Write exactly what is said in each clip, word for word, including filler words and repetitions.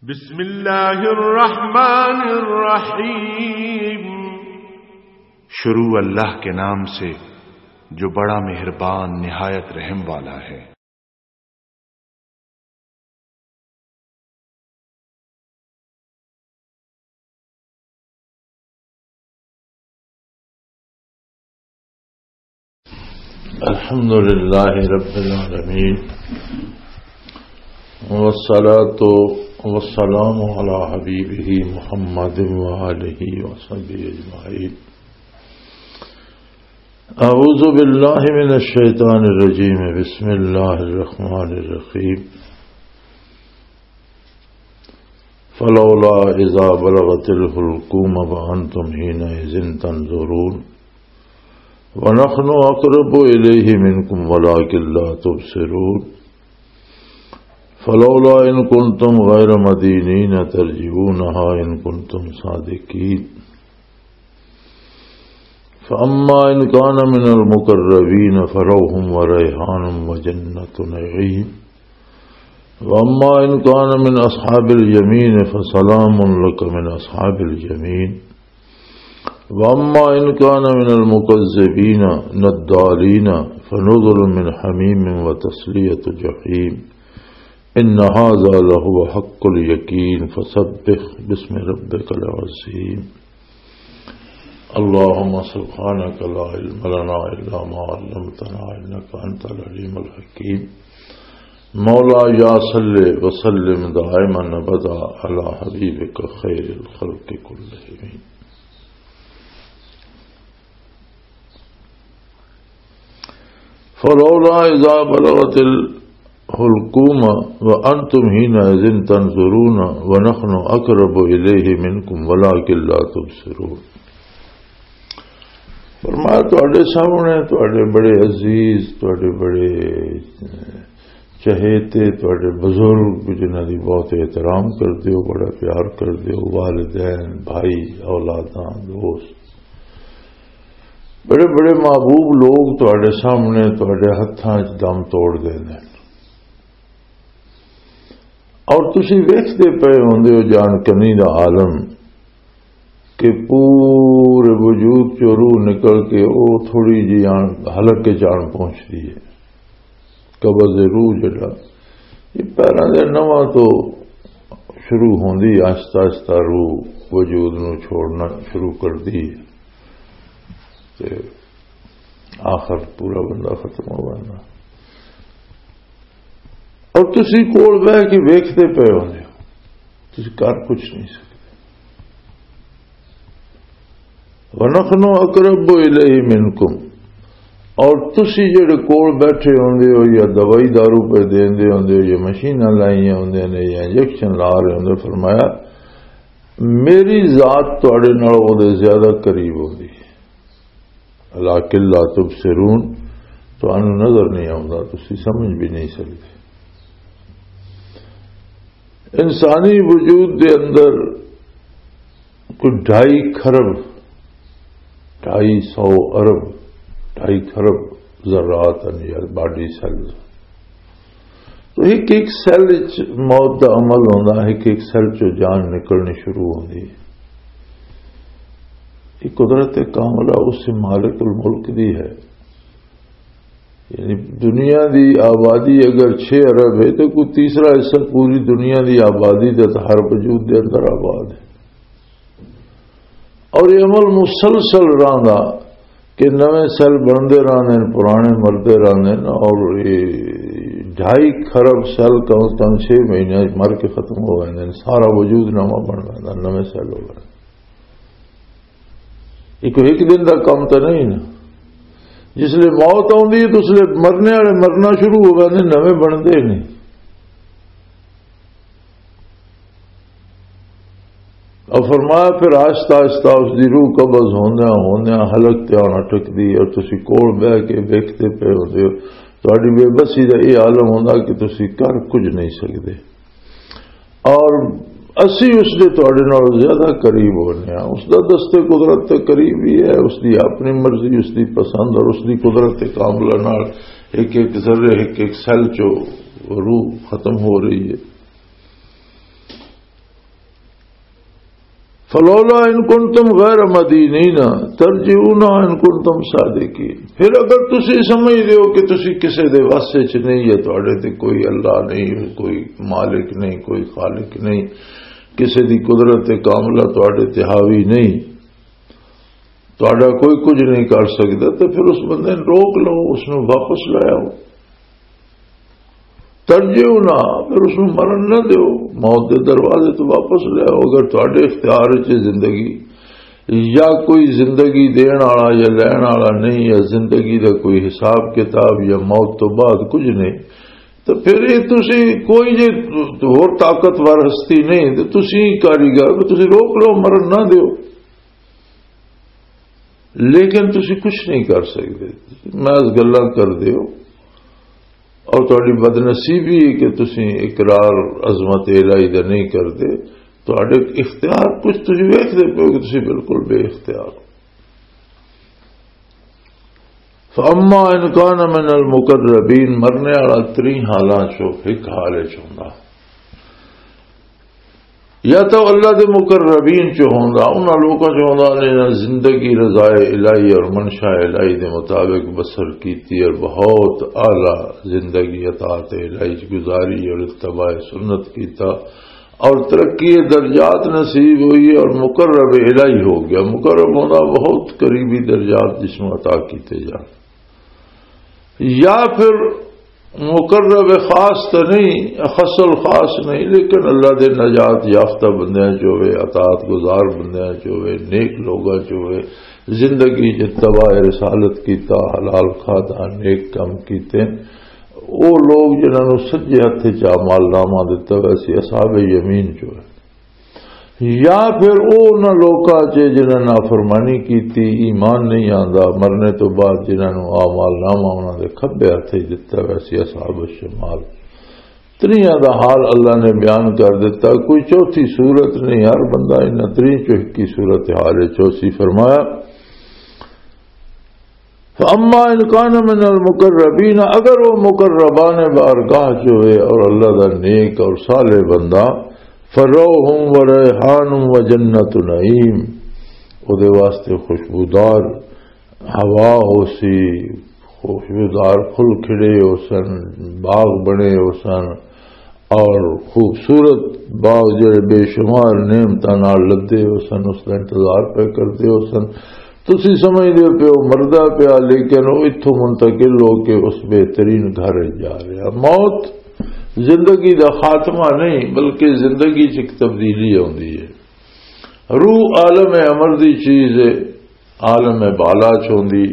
بسم اللہ الرحمن الرحیم۔ شروع اللہ کے نام سے، جو بڑا مہربان، نہایت رحم والا ہے۔ الحمد لله رب العالمين، والصلاة والسلام على حبيبه محمد وآله وصحبه أجمعين. أعوذ بالله من الشيطان الرجيم. بسم الله الرحمن الرحيم. فلولا إذا بلغت الحلقوم وأنتم حينئذ تنظرون. ونحن أقرب إليه منكم ولكن لا تبصرون. فلولا إن كنتم غير مدينين ترجعونها إن كنتم صادقين. فأما إن كان من المقربين فروح وريحان وجنة نعيم. وأما إن كان من أصحاب اليمين فسلام لك من أصحاب اليمين. وأما إن كان من المكذبين الضالين فنزل من حميم وتصلية جحيم. إن هذا لهو حق اليقين. فسبح باسم ربك العظيم. اللهم سبحانك لا علم لنا إلا ما علمتنا إنك أنت العليم الحكيم. مولاي صل وسلم دائما أبدا على حبيبك خير الخلق كلهم. فلولا إذا بلغت الحلقوم وأنتم حينئذ تنظرون ونحن أقرب إليه منكم ولكن لا تبصرون. فرمایا، تواڈے سامنے تواڈے بڑے عزیز، تواڈے بڑے چہیتے، تواڈے بزرگ جنہاں دی بہت احترام کردے ہو، بڑا پیار کردے ہو، والدین، بھائی، اولاداں، دوست، بڑے بڑے محبوب لوگ تواڈے سامنے تواڈے ہتھاں وچ دم توڑ دے نے۔ اور تسی ویکھدے پئے ہوندے ہو جان کنی دا عالم کہ پورے وجود چوں روح نکل کے او تھوڑی جی آن حلق کے جان پہنچدی ہے، قبض روح جڑا یہ پیراں دے نواں تو شروع ہوندی، آہستہ آہستہ روح وجود نو چھوڑنا شروع کردی ہے تے آخر پورا بندہ ختم ہو جانا۔ اور تسی کول بہ کے ویکھدے پئے ہوندے ہو، تسی کر کچھ نہیں سکدے۔ وَنَحْنُ أَقْرَبُ إِلَيْهِ مِنْكُمْ، اور تسی جڑے کول بیٹھے ہوندے ہو یا دوائی دارو پہ دیندے ہوندے ہو یا مشیناں لائیاں ہوندے نے یا انجیکشن لا رہے ہوندے، فرمایا میری ذات تواڈے نال او دے زیادہ قریب ہوندی ہے۔ لَٰكِن لَّا تُبْصِرُونَ، تانوں نظر نہیں آوندا، تسی سمجھ بھی نہیں سکدے۔ انسانی وجود دے اندر کوئی ڈھائی کھرب، ڈھائی سو ارب، ڈھائی کھرب ذرات ہیں یا باڈی سیلز۔ تو ایک ایک سیل وچ موت دا عمل ہوندا ہے، ایک ایک سیل چوں جان نکلنی شروع ہوندی ہے۔ یہ قدرت کاملہ اس مالک الملک دی ہے۔ یعنی دنیا دی آبادی اگر چھ ارب ہے تو کوئی تیسرا حصہ پوری دنیا دی آبادی دے ہر وجود دے اندر آباد ہے۔ اور یہ عمل مسلسل رہندا کہ نویں سیل بنتے رہتے ہیں، پرانے مرتے رہتے ہیں، اور یہ ڈھائی کھرب سیل کم از کم چھ مہینے مر کے ختم ہو جاتے ہیں، سارا وجود نواں بن جاتا، نویں سیل ہو جاتے۔ یہ کوئی ایک دن کا کام تو نہیں نا۔ جس لئے موت آتی ہے تو اس لئے مرنے والے مرنا شروع ہو جاتے ہیں، نویں بنتے نہیں۔ اور فرمایا پھر آہستہ آہستہ اس دی روح قبض ہوندیاں ہوندیاں حلق تے آن اٹکدی ہے، اور تسی کول بہ کے ویکھدے پئے ہوندے ہو، تہاڈی بے بسی دا یہ عالم ہوندا کہ تسی کر کچھ نہیں سکدے۔ اور اسی اس دے تہاڈے نال زیادہ قریب ہونے ہاں۔ اس دا دست قدرت تے قریب ہی ہے، اس دی اپنی مرضی، اس دی پسند اور اس دی قدرت کاملہ نال ایک ایک ذرے، ایک ایک سیل چو روح ختم ہو رہی ہے۔ فلولا ان کنتم غیر مدینین ترجعونہا ان کنتم صادقین۔ پھر اگر تسی سمجھدے ہو کہ تسی کسے دے وس وچ نہیں، یا تہاڈے تے کوئی اللہ نہیں، کوئی مالک نہیں، کوئی خالق نہیں، کسے دی قدرت کاملہ تہاڈے تے حاوی نہیں، تہاڈا کوئی کچھ نہیں کر سکدا، تو پھر اس بندے نوں روک لو، اس نوں واپس لے آؤ۔ ترجعونہا، پھر اس نوں مرن نہ دیو، موت دے دروازے تو واپس لے آؤ۔ اگر تہاڈے اختیار وچ زندگی یا کوئی زندگی دین والا یا لین والا نہیں، یا زندگی دا کوئی حساب کتاب یا موت تو بعد کچھ نہیں، تو پھر یہ تسی کوئی جے ہور طاقتور ہستی نہیں، تو تسی کاریگر، تسی روک لو، مرن نہ دیو۔ لیکن تسی کچھ نہیں کر سکتے، محض گلاں کر دیو۔ اور تہاڈی بدنصیبی ہے کہ تسی اقرار عظمت الہی دا نہیں کردے، تہاڈے اختیار کچھ تسی ویکھدے پئے ہو کہ تسی بالکل بے اختیار ہو۔ فاما ان کان من المقربین، مرنے والا تری حالاں چوں ایک حال وچ ہوندا، یا تو اللہ دے مقربین چ ہوندا، انہاں لوکاں چ ہوندا جنہاں زندگی رضائے الہی اور منشا الہی دے مطابق بسر کیتی اور بہت اعلیٰ زندگی اطاعت الہی چ گزاری اور اتباع سنت کیتا اور ترقی درجات نصیب ہوئی اور مقرب الہی ہو گیا۔ مقرب ہونا بہت قریبی درجات جس میں عطا کیتے جان۔ یا پھر مقرب خاص تو نہیں، خصل خاص نہیں، لیکن اللہ دے نجات یافتہ بندیاں چ ہوئے، اطاعت گزار بندیاں چ ہوئے، نیک لوگاں چ ہوئے، زندگی چ اتباع رسالت کیتا، حلال کھادا، نیک کم کیتے، او لوگ جنہاں نوں سجے ہتھ چ اعمال نامہ دتا ویسی اصحاب یمین چ ہوئے۔ یا پھر او انہاں لوکاں چ جنہاں نافرمانی کیتی، ایمان نہیں آندا، مرنے تو بعد جنہاں نوں اعمال نامہ انہاں دے کھبے ہتھ وچ دتا ویسی اصحاب الشمال۔ تریاں دا حال اللہ نے بیان کر دتا، کوئی چوتھی صورت نہیں، ہر بندہ انہاں تری چوکی صورت حال وچ چوسی۔ فرمایا، فاما ان کان من المقربین، اگر وہ مقربان بارگاہ چ ہوئے اور اللہ دا نیک اور صالح بندہ، فروح و ریحان و جنت نعیم، او دے واسطے خوشبودار ہوا ہو سی، خوشبودار پھل کھڑے ہو سن، باغ بنے ہو سن، اور خوبصورت باغ جڑے بے شمار نعمتاں نال لدے ہو سن، اس دا انتظار پہ کردے ہو سن۔ تسی سمجھدے پیو مردا پیا، لیکن وہ اتھوں منتقل ہو کے اس بہترین گھر وچ جا رہا۔ موت زندگی دا خاتمہ نہیں، بلکہ زندگی چ ایک تبدیلی آندی ہے۔ روح عالم امر دی چیز ہے، عالم بالا چ ہوندی۔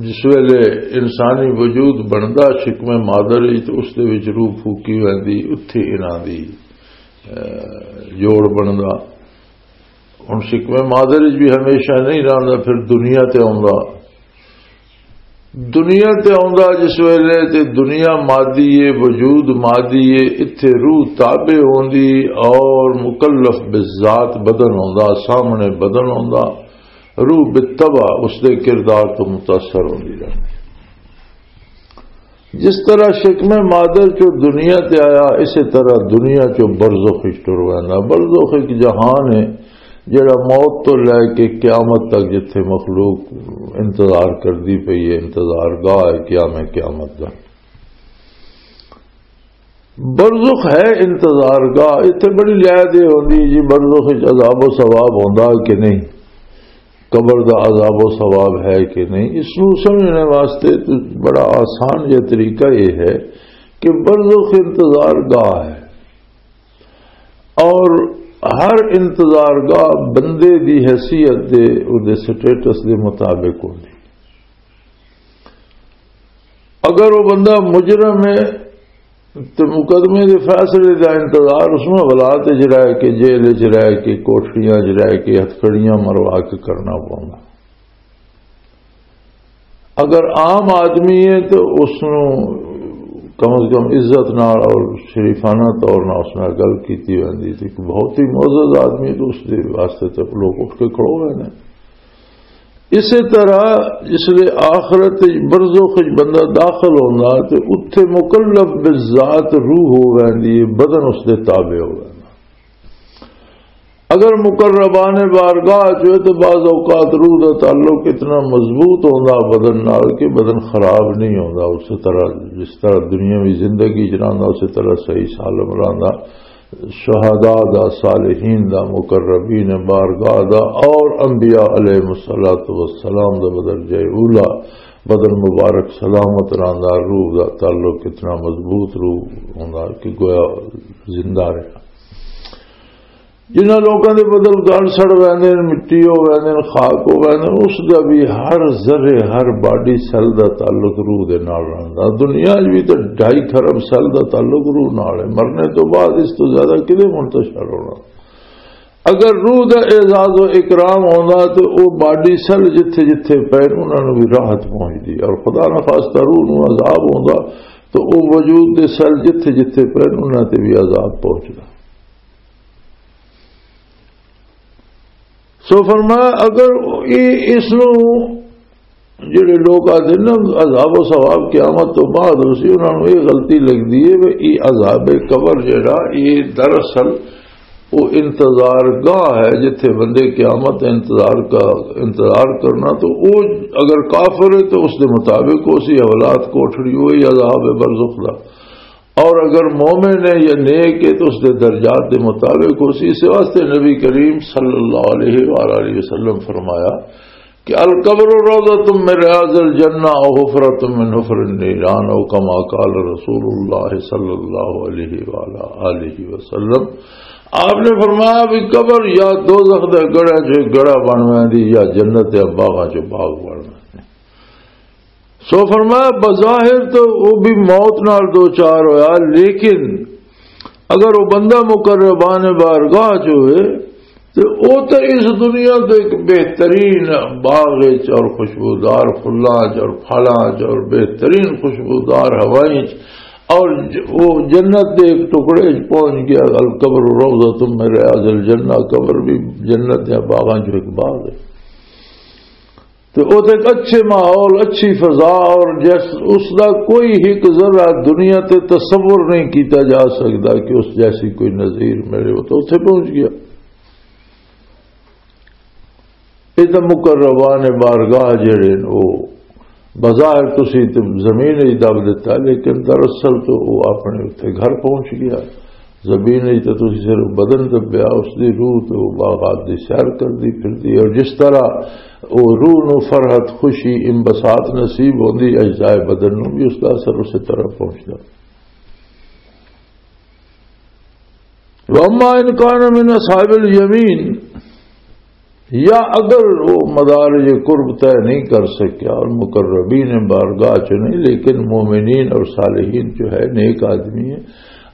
جس ویلے انسانی وجود بندا شکم مادر وچ، تے اس دے وچ روح پھوکی ویندی، اتھے انہاں دی، اے، جوڑ بندا۔ ہن شکم مادر وچ بھی ہمیشہ نہیں رہندا، پھر دنیا تے آوندا۔ دنیا تے آوندا جس ویلے، تے دنیا مادی ہے، وجود مادی ہے، اتھے روح تابع ہوندی اور مکلف بالذات بدن ہوندا، سامنے بدن ہوندا۔ روح بالطبع اس دے کردار تو متاثر ہوندی رہندی۔ جس طرح شکم مادر چو دنیا تے آیا، اسی طرح دنیا چو برزخ وچ ٹر ویندا۔ برزخ ایک جہان ہے جڑا موت تو لے کے قیامت تک جتھے مخلوق انتظار کردی پئی ہے، انتظار گاہ ہے قیام قیامت دا۔ برزخ ہے انتظار گاہ۔ اتھے بڑی لے دے ہوندی جی، برزخ وچ عذاب و ثواب ہوندا کہ نہیں، قبر دا عذاب و ثواب ہے کہ نہیں، اس نوں سمجھنے واسطے تو بڑا آسان جہا طریقہ یہ ہے کہ برزخ انتظار گاہ ہے، اور ہر انتظار گاہ بندے دی حیثیت دے، او دے سٹیٹس دے مطابق ہوندی۔ اگر وہ بندہ مجرم ہے تو مقدمے دے فیصلے دا انتظار اس میں حالات وچ رہ کے، جیل وچ رہ کے، کوٹڑیاں وچ رہ کے، ہتھکڑیاں مروا کے کرنا پوندا۔ اگر عام آدمی ہے تو اس نوں کم از کم عزت نال اور شریفانہ طور نال اس نال گل کیتی ویندی۔ تے کوئی بہت ہی معزز آدمی ہے تو اس دے واسطے تے لوگ اٹھ کے کھڑو ہوئے نے۔ اسی طرح جس لے آخرت وچ برزخ وچ بندہ داخل ہوندا تے اتھے مکلف بالذات روح ہو ویندی ہے، بدن اس دے تابع ہو ویندا۔ اگر مقربان بارگاہ چ ہوئے تو بعض اوقات روح دا تعلق اتنا مضبوط ہوندا بدن نال کہ بدن خراب نہیں ہوندا۔ اسی طرح جس طرح دنیاوی زندگی چ رہندا، اسی طرح صحیح سالم رہندا۔ شہداء دا، صالحین دا، مقربین بارگاہ دا اور انبیاء علیہ الصلوۃ والسلام دا بدرجہ اولا، بدن مبارک سلامت رہندا، روح دا تعلق اتنا مضبوط روح ہوندا کہ گویا زندہ رہا۔ جنہاں لوکاں دے بدل گل سڑ ویندے نے، مٹی ہو ویندے نے، خاک ہو ویندے نے، اس دا بھی ہر ذرے، ہر باڈی سیل دا تعلق روح دے نال رہندا۔ دنیا 'چ بھی تے ڈھائی خرب سیل دا تعلق روح نال ہے۔ مرنے تو بعد اس تو زیادہ کدے منتشر ہونا؟ اگر روح دا اعزاز و اکرام ہوندا تے او باڈی سیل جتھے جتھے پے انہاں نوں بھی راحت پہنچدی، اور خدا نہ خواستہ روح نوں عذاب ہوندا تو او وجود دے سیل جتھے جتھے پے انہاں تے بھی عذاب پہنچدا۔ سو فرمایا، اگر اے، اس نوں جڑے لوگ آدھے نا عذاب و ثواب قیامت تو بعد ہو سی، انہاں نوں یہ غلطی لگدی ہے کہ یہ عذاب قبر جڑا، یہ دراصل وہ انتظار گاہ ہے جتھے بندے قیامت انتظار کا، انتظار کرنا۔ تو وہ اگر کافر ہے تو اس دے مطابق اسی حالات کوٹھڑی ہوئی عذاب برزخ دا، اور اگر مومن ہے یا نیک ہے تو اس دے درجات دے مطابق ہو سی۔ اس واسطے نبی کریم صلی اللہ علیہ وآلہ وسلم فرمایا کہ القبر روضۃ من ریاض الجنہ او حفرۃ من حفر النیران، او کما قال رسول اللہ صلی اللہ علیہ وآلہ آلہ وسلم۔ آپ نے فرمایا بھی قبر یا دوزخ دے گڑھے چ گڑھا بن ویندی یا جنت دے باغاں چ باغ بن ویندی۔ سو فرمایا، بظاہر تو وہ بھی موت نال دو چار ہویا، لیکن اگر وہ بندہ مقربان بارگاہ چ ہوئے تو وہ تو اس دنیا تو ایک بہترین باغ وچ اور خوشبودار پھلاں وچ اور پھلاں وچ اور بہترین خوشبودار ہوائیں وچ اور ج-، وہ جنت دے ایک ٹکڑے وچ پہنچ گیا۔ القبر روضۃ من ریاض الجنہ، قبر بھی جنت یا باغاں چ ایک باغ ہے۔ تے او تے ایک اچھے ماحول، اچھی فضا، اور جس، اس دا کوئی ایک ذرہ دنیا تے تصور نہیں کیتا جا سکدا کہ اس جیسی کوئی نظیر ملے۔ وہ تو اتھے پہنچ گیا۔ یہ تو مقربان بارگاہ جڑے نے، وہ بظاہر تسی تے زمین ہی دب دیتا، لیکن دراصل تو وہ اپنے اتھے گھر پہنچ گیا۔ زمین وچ تے تسی صرف بدن دبیا، اس دی روح تے او باغات دی سیر کردی پھردی ہے۔ اور جس طرح او روح نو فرحت، خوشی، انبساط نصیب ہوندی، اجزائے بدن نو بھی اس دا اثر اسی طرح پہنچدا۔ واما ان کان من اصحاب الیمین، یا اگر وہ مدارج قرب طے نہیں کر سکیا اور مقربین بارگاہ چ نہیں، لیکن مومنین اور صالحین جو ہے، نیک آدمی ہے،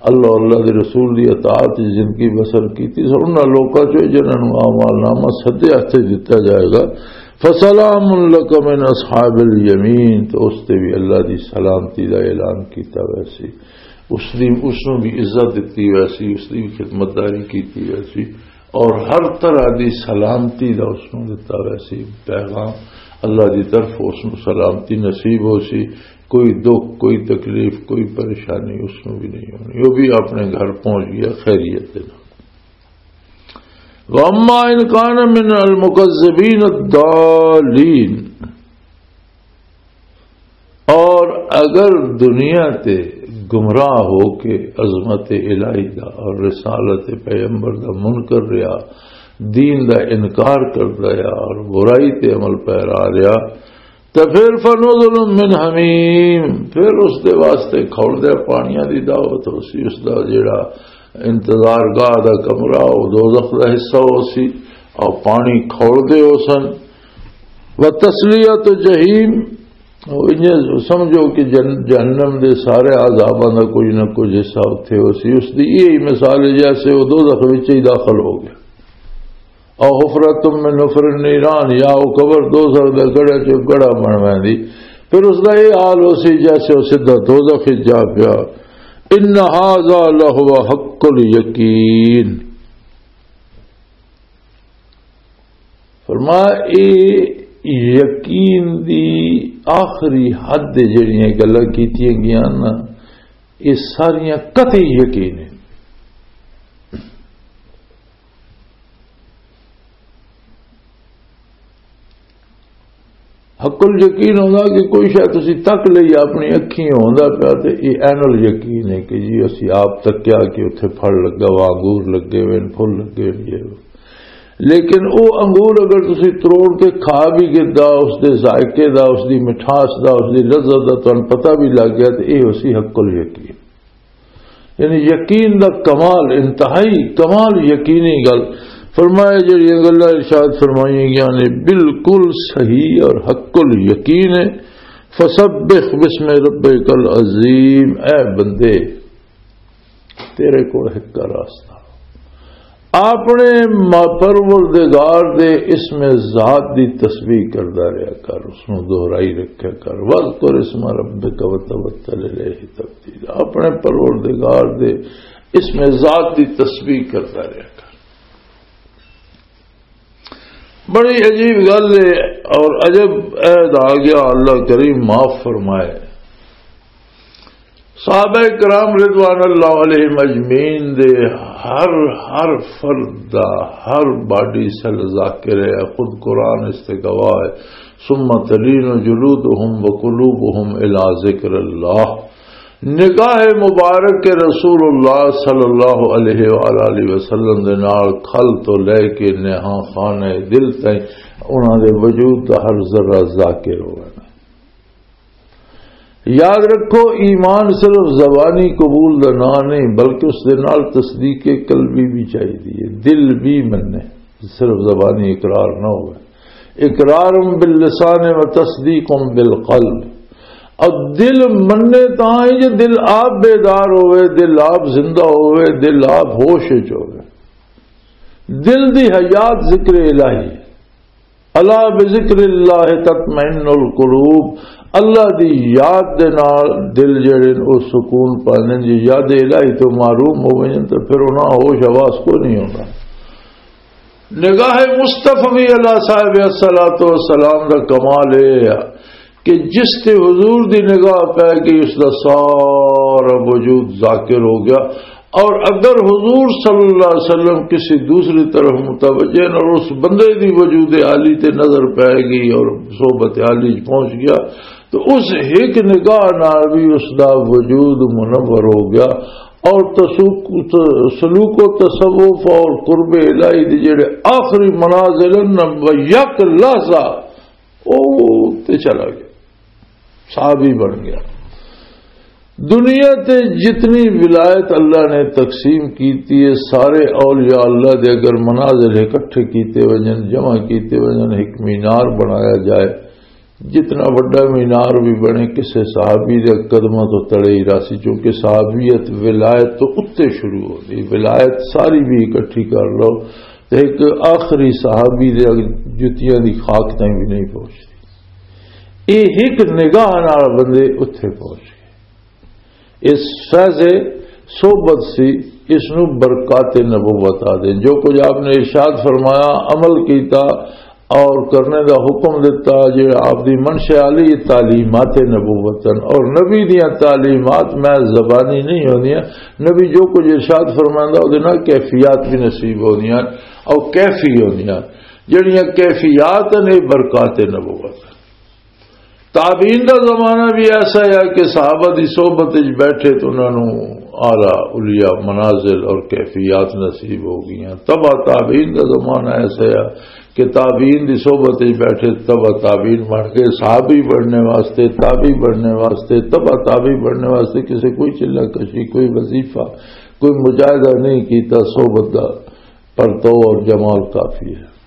اللہ، اللہ دے رسول دی اطاعت وچ زندگی بسر کیتی، سو انہاں لوکاں چ جنہاں نوں اعمال نامہ سدے ہتھے دتا جائے گا، فسلام لک من اصحاب الیمین، تو اس تے بھی اللہ دی سلامتی دا اعلان کیتا ویسی، اس دی، اس نوں بھی عزت دتی ویسی، اس دی بھی خدمت داری کیتی ویسی۔ اور ہر طرح دی سلامتی دا اس نوں دتا ویسی پیغام، اللہ دی طرف اس نوں سلامتی نصیب ہو سی، کوئی دکھ، کوئی تکلیف، کوئی پریشانی اس نوں بھی نہیں ہونی، وہ بھی اپنے گھر پہنچ گیا خیریت دے نال۔ واما ان کان من المکذبین الضالین، اور اگر دنیا تے گمراہ ہو کے عظمت الہی دا اور رسالت پیغمبر دا منکر رہیا، دین دا انکار کردا رہیا اور برائی تے عمل پیرا رہیا، تے پھر فنزل من حمیم، پھر اس دے واسطے کھول دے پانیاں دی دعوت ہو سی، اس دا جڑا انتظار گاہ دا کمرہ، او دوزخ دا حصہ ہو سی، اور پانی کھول دے ہو سن۔ و تسلیت جحیم، او انجے سمجھو کہ جن-، جہنم دے سارے عذاباں دا کچھ نہ کچھ حصہ اتھے ہو سی۔ اس دی یہی مثال ہے جیسے وہ دوزخ وچ ہی داخل ہو گیا۔ او حفرۃ من حفر النیران، یا وہ قبر دوزخ دے گڑھے چوں گڑھا بن ویندی۔ پھر اس دا یہ حال ہو سی جیسے وہ سیدھا دوزخ وچ جا پیا۔ ان ھذا لھو حق الیقین۔ فرمایا، اے یقین دی آخری حد تے جڑیاں گلاں کیتیاں گیاں نا، اے ساریاں قطعی یقین ہیں۔ عقل یقین ہوندا کہ کوئی شاید تسی تک لئی اپنی اکھیں ہوندا پیا، تے یہ عین الیقین ہے کہ جی اسی آپ تکیا کہ اتھے پھل لگا وا، انگور لگے ہوئے نے، پھل لگے ہوئے نے، یہ وہ۔ لیکن وہ انگور اگر تسی تروڑ کے کھا بھی گدا، اس دے ذائقے دا، اس دی مٹھاس دا، اس دی لذت دا تانوں پتہ بھی لگ گیا، تے یہ اسی حق الیقین۔ یعنی یقین دا کمال، انتہائی کمال یقینی گل۔ فرمایا جڑیاں گلاں ارشاد فرمائیاں گیاں نے بالکل صحیح اور حق الیقین ہے۔ فسبح باسم ربک العظیم، اے بندے، تیرے کول ایک راستہ، اپنے ما-، پروردگار دے اسم ذات دی تسبیح کردا رہیا کر، اس نوں دہرائی رکھیا کر۔ وذکر اسم ربک وتبتل الیہ تبتیلا، اپنے پروردگار دے اسم ذات دی تسبیح کردا رہیا کر۔ بڑی عجیب گل ہے، اور عجب عہد آ گیا، اللہ کریم معاف فرمائے۔ صحابہ کرام رضوان اللہ علیہم اجمعین دے ہر، ہر فرد دا، ہر باڈی سیل ذاکر ہے۔ خود قرآن اس تے گواہ ہے، "ثم تلین جلودہم وقلوبہم الی ذکر اللہ۔" نگاہ مبارک رسول اللہ صلی اللہ علیہ وآلہ وسلم دے نال کھل تو لے کے نہاں خانہ دل تائیں انہاں دے وجود دا ہر ذرہ ذاکر ہونا۔ یاد رکھو، ایمان صرف زبانی قبول دا نام نہیں، بلکہ اس دے نال تصدیق قلبی بھی چاہیے، دل بھی مننے، صرف زبانی اقرار نہ ہوئے۔ اقرار باللسان و تصدیق بالقلب۔ اور دل مننے تاں ہی جو دل آپ بیدار ہوئے، دل آپ زندہ ہوئے، دل آپ ہوش وچ ہوئے۔ دل دی حیات ذکر الہی۔ الا بذکر اللہ تطمئن القلوب، اللہ دی یاد دے نال دل جڑے نے او سکون پاندے نے۔ جے یاد الہی تو محروم ہو ویندے تے پھر انہاں ہوش حواس کو نہیں ہوندا۔ نگاہ مصطفی علی صاحب الصلوۃ والسلام دا کمال اے ہے کہ جس تے حضور دی نگاہ پے گئی، اس دا سارا وجود ذاکر ہو گیا۔ اور اگر حضور صلی اللہ علیہ وسلم کسی دوسری طرف متوجہ ہیں اور اس بندے دی وجود عالی تے نظر پے گئی اور صحبت عالی پہنچ گیا، تو اس ایک نگاہ نال بھی اس دا وجود منور ہو گیا۔ اور تسوق-، سلوک و تصوف اور قرب الہی دے جڑے آخری منازل ہیں نا، وہ یک لحظہ او تے چلا گیا، صحابی بن گیا۔ دنیا تے جتنی ولایت اللہ نے تقسیم کیتی ہے، سارے اولیاء اللہ دے اگر منازل اکٹھے کیتے وجن، جمع کیتے وجن، ایک مینار بنایا جائے، جتنا وڈا مینار بھی بنے، کسے صحابی دے قدماں تو تلے ہی راسی، چونکہ صحابیت ولایت تو اتے شروع ہو گئی۔ ولایت ساری بھی اکٹھی کر لو تے ایک آخری صحابی دے جتیاں دی خاک تائیں بھی نہیں پہنچتی۔ یہ ایک نگاہ نال بندے اتھے پہنچ گئے۔ اس فیض صحبت سی، اس نو برکات نبوت آ دے۔ جو کچھ آپ نے ارشاد فرمایا، عمل کیتا اور کرنے دا حکم دیتا، جے آپ دی منشا علی تعلیمات نبوت ہیں۔ اور نبی دیاں تعلیمات میں زبانی نہیں ہوندیاں، نبی جو کچھ ارشاد فرمائندا، او دے نال کیفیات بھی نصیب ہوندیاں اور کیفی ہوندیاں۔ جڑیاں کیفیات نے، برکات نبوت۔ تابعین دا زمانہ بھی ایسا ہے کہ صحابہ دی صحبت وچ بیٹھے تو انہاں نوں اعلیٰ علیا منازل اور کیفیات نصیب ہو گئیاں۔ تبع تابعین دا زمانہ ایسا ہے کہ تابعین دی صحبت وچ بیٹھے، تبع تابعین بن کے صحابی بننے واسطے، تابعی بننے واسطے، تبع تابعی بننے واسطے کسے کوئی چلہ کشی، کوئی وظیفہ، کوئی مجاہدہ نہیں کیتا صحبت دا، پر تو اور جمال کافی ہے۔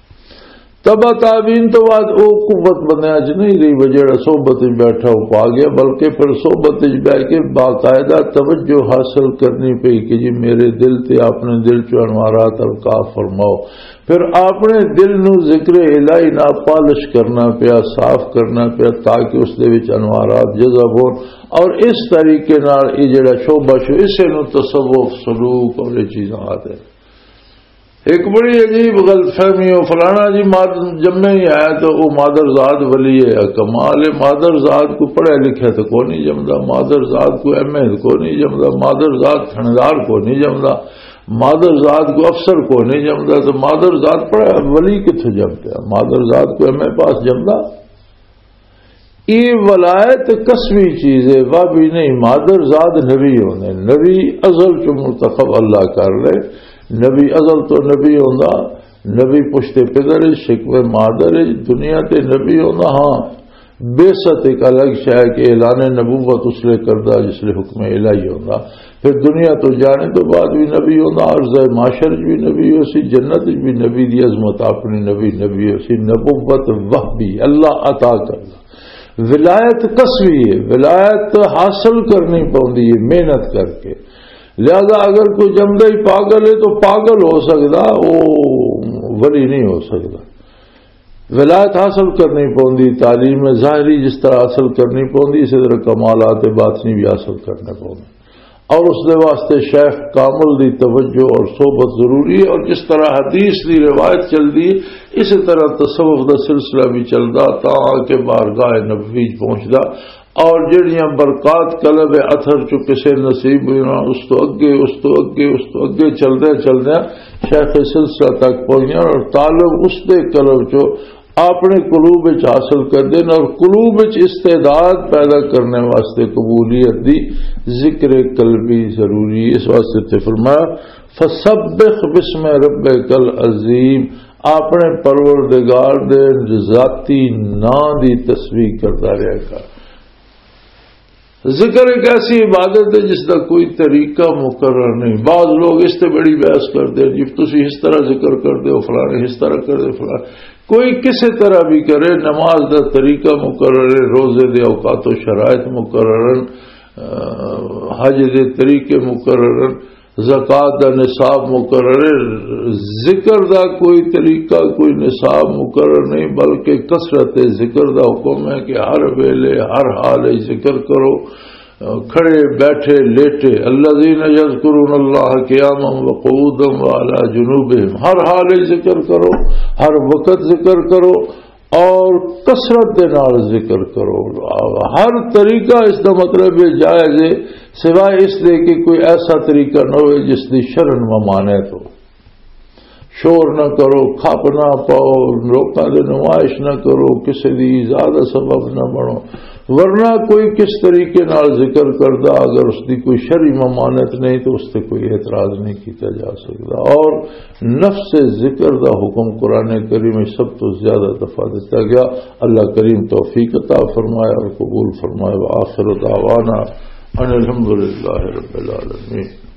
تبع تابعین تو بعد او قوت بندیاں چ نہیں رہی، وہ جڑا صحبت وچ بیٹھا وہ پا گیا، بلکہ پھر صحبت وچ بیٹھ کے باقاعدہ توجہ حاصل کرنی پئی کہ جی میرے دل تے اپنے دل چ انوارات القاء فرماؤ۔ پھر اپنے دل نو ذکر الہی نال پالش کرنا پیا، صاف کرنا پیا، تاکہ اس دے وچ انوارات جذب ہون۔ اور اس طریقے نال یہ جڑا شعبہ شو، اسے نو تصوف، سلوک اور یہ چیزاں آتے ہیں۔ ایک بڑی عجیب غلط فہمی ہو، فلانا جی ماد-، جمے ہی آیا تو وہ مادر زاد ولی ہے۔ کمال ہے، مادر زاد کو پڑھے لکھے تو کو نہیں جمدا، مادر زاد کو ایم اے کو نہیں جمدا، مادر زاد تھندار کو نہیں جمدا، مادر زاد کو افسر کو نہیں جمدا، تو مادر زاد پڑھے ولی کتھوں جم پیا؟ مادر زاد کو ایم اے پاس جمدا؟ یہ ولایت کسبی چیز ہے، وہ بھی نہیں۔ مادر زاد نبی ہوندے، نبی ازل چ منتخب اللہ کر لے۔ نبی ازل تو نبی ہوندا، نبی پشت پدر ہے، شکم مادر ہے، دنیا تے نبی ہوندا۔ ہاں، بعثت ایک الگ شے ہے کہ اعلان نبوت اس لیے کردا جس لیے حکم الہی ہوندا۔ پھر دنیا تو جانے تو بعد بھی نبی ہوندا، عرض محشر بھی نبی ہو سی، جنت بھی نبی دی عظمت اپنی نبی نبی ہو سی۔ نبوت وہبی اللہ عطا کردا۔ ولایت کسبی ہے، ولایت حاصل کرنی پوندی ہے محنت کر کے۔ لہذا اگر کوئی جمدا ہی پاگل ہے تو پاگل ہو سکدا، وہ ولی نہیں ہو سکدا۔ ولایت حاصل کرنی پوندی، تعلیم ظاہری جس طرح حاصل کرنی پوندی، اسی طرح کمالات باطنی بھی حاصل کرنے پوندے۔ اور اس دے واسطے شیخ کامل دی توجہ اور صحبت ضروری ہے، اور جس طرح حدیث دی روایت چلدی ہے، اسی طرح تصوف دا سلسلہ بھی چلدا، تاں آ کے بارگاہ نبوی پہنچدا۔ اور جڑیاں برکات قلب اثر چ کسے نصیب ہوئیاں، اس تو اگے، اس تو اگے، اس تو اگے چلدے چلدے شیخ سلسلہ تک پہنچیاں، اور تعلق اس دے قلب چ اپنے قلوب وچ حاصل کردے نے، اور قلوب وچ استعداد پیدا کرنے واسطے قبولیت دی ذکر قلبی ضروری ہے۔ اس واسطے تے فرمایا، "فسبح باسم ربک العظیم"، اپنے پروردگار دے ذاتی نام دی تسبیح کردا رہیا کر۔ ذکر ایک ایسی عبادت ہے جس دا کوئی طریقہ مقرر نہیں۔ بعض لوگ اس تے بڑی بحث کردے ہیں، "جی تسی اس طرح ذکر کردے ہو، فلانے اس طرح کردے، فلانے۔" کوئی کسے طرح بھی کرے، نماز دا طریقہ مقرر ہے، روزے دے اوقات و شرائط مقرر ہیں، آ، حج دے طریقے مقرر ہیں، زکوٰۃ دا نصاب مقرر ہے۔ ذکر دا کوئی طریقہ، کوئی نصاب مقرر نہیں، بلکہ کثرت ذکر دا حکم ہے کہ ہر ویلے، ہر حال وچ ذکر کرو، کھڑے، بیٹھے، لیٹے۔ الذین یذکرون اللہ قیاما وقعودا وعلی جنوبہم، ہر حال وچ ذکر کرو، ہر وقت ذکر کرو، اور کثرت دے نال ذکر کرو۔ ہر طریقہ اس دا مطلب یہ جائز ہے، سوائے اس دے کہ کوئی ایسا طریقہ نہ ہوئے جس دی شرع ممانعت ہو۔ شور نہ کرو، کھپ نہ پاؤ، لوکاں دے نمائش نہ کرو، کسے دی ایذا دا سبب نہ بنو۔ ورنہ کوئی کس طریقے نال ذکر کردا، اگر اس دی کوئی شرعی ممانعت نہیں تو اس تے کوئی اعتراض نہیں کیتا جا سکدا۔ اور نفس ذکر دا حکم قرآن کریم میں سب تو زیادہ دفعہ دیتا گیا۔ اللہ کریم توفیق عطا فرمائے اور قبول فرمائے۔ وآخر دعوانا ان الحمدللہ رب العالمین۔